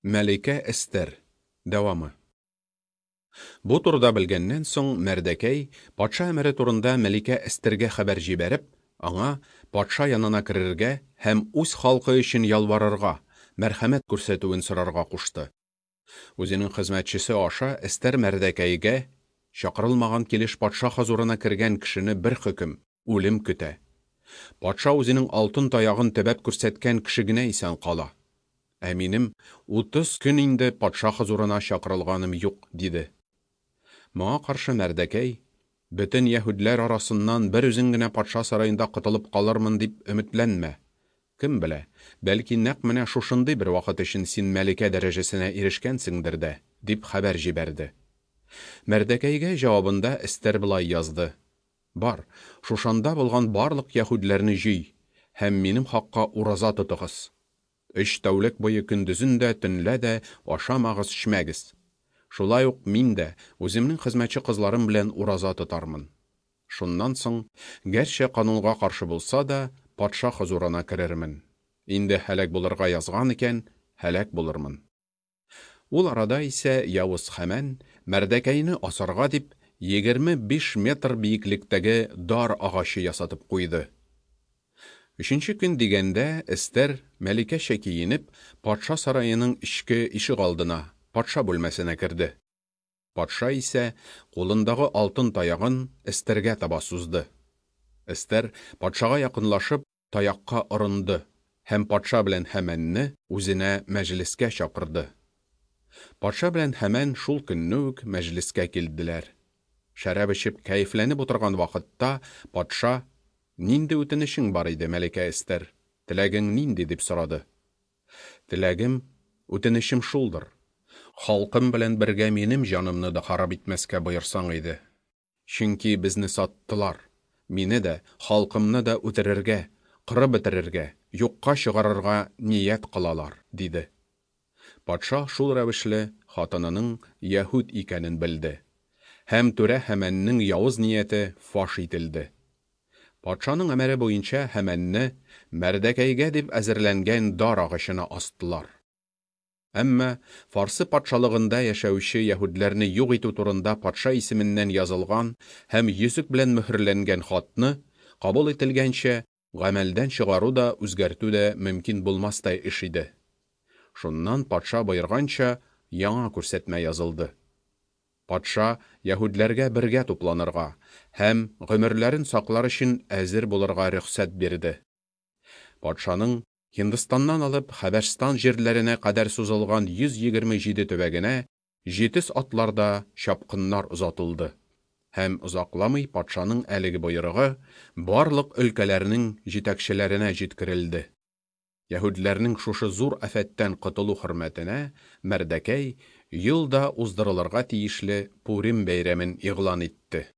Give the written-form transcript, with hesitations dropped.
Мәликә Эстер. Дәвамы. Бу турыда белгәннән соң, Мәрдәкәй, патша әмере турында Мәликә Эстергә хәбәр җибәреп, аңа патша янына керергә һәм үз халкы өчен ялварырга, мәрхәмәт күрсәтүен сорарга кушты. Үзенең хезмәтчесе аша Эстер Мәрдәкәйгә, Чакырылмаган килеш патша хозурына кергән кешене бер хөкем, үлем көтә. Патша үзенең алтын таягын төбәп күрсәткән кеше генә исән кала. Ә минем 30 көн инде патша хозурына чакырылганым юк, диде. Моңа каршы Мәрдәкәй, Бөтен яһүдләр арасыннан бер үзең генә патша сараенда котылып калырмын дип өметләнмә. Кем белә, бәлки нәкъ менә шушындый бер вакыт өчен син мәликә дәрәҗәсенә ирешкәнсеңдер дә, дип хәбәр җибәрде. Мәрдәкәйгә җавабында Эстер болай язды, Бар, Шушанда булган барлык яһүдләрне җый һәм минем хакка ураза тотыгыз. Өч тәүлек буе көндезен дә, төнлә дә ашамагыз-эчмәгез. Шулай ук мин дә үземнең хезмәтче кызларым белән ураза тотармын. Шуннан соң, гәрчә канунга каршы булса да, патша хозурына керермен. Инде һәлак булырга язган икән, һәлак булырмын. Ул арада исә явыз Хәмән, Мәрдәкәйне асарга дип, 25 метр биеклектәге дар агачы ясатып куйды. Өченче көн дигәндә, Эстер, мәликәчә киенеп, патша сараеның эчке ишегалдына, патша бүлмәсенә керде. Патша исә кулындагы алтын таягын Эстергә таба сузды. Эстер, патшага якынлашып, таякка орынды һәм патша белән Һәмәнне үзенә мәҗлескә чакырды. Патша белән Һәмән шул көнне үк мәҗлескә килделәр. Шәраб эчеп кәефләнеп утырган вакытта патша, Нинди үтенечең бар иде, мәликә Эстер? Теләгең нинди? дип сорады. Теләгем, үтенечем шулдыр, халкым белән бергә минем җанымны да харап итмәскә боерсаң иде. Чөнки безне саттылар, мине дә, халкымны да үтерергә, кырып бетерергә, юкка чыгарырга ният кылалар, диде. Патша шул рәвешле хатынының яһүд икәнен белде. Һәм түрә Һәмәннең явыз нияте фаш ителде. Патшаның әмере буенча Һәмәнне Мәрдәкәйгә дип әзерләнгән дар агачына астылар. Әмма Фарсы патшалыгында яшәүче яһүдләрне юк итү турында патша исеменнән язылган һәм йөзек белән мөһерләнгән хатны, кабул ителгәнчә, гамәлдән чыгару да, үзгәртү дә мөмкин булмастай эш иде. Шуннан патша боерганча, яңа күрсәтмә язылды. Патша яһүдләргә бергә тупланырга һәм гомерләрен саклар өчен әзер булырга рөхсәт бирде. Патшаның Һиндстаннан алып Хәбәшстан җирләренә кадәр сузылган 127 төбәгенә җитез атларда чапкыннар озатылды. Һәм озакламый патшаның әлеге боерыгы барлык өлкәләрнең җитәкчеләренә җиткерелде. Яһүдләрнең шушы зур афәттән котылу хөрмәтенә Мәрдәкәй ел да уздырылырга тиешле Пурим бәйрәмен игълан итте.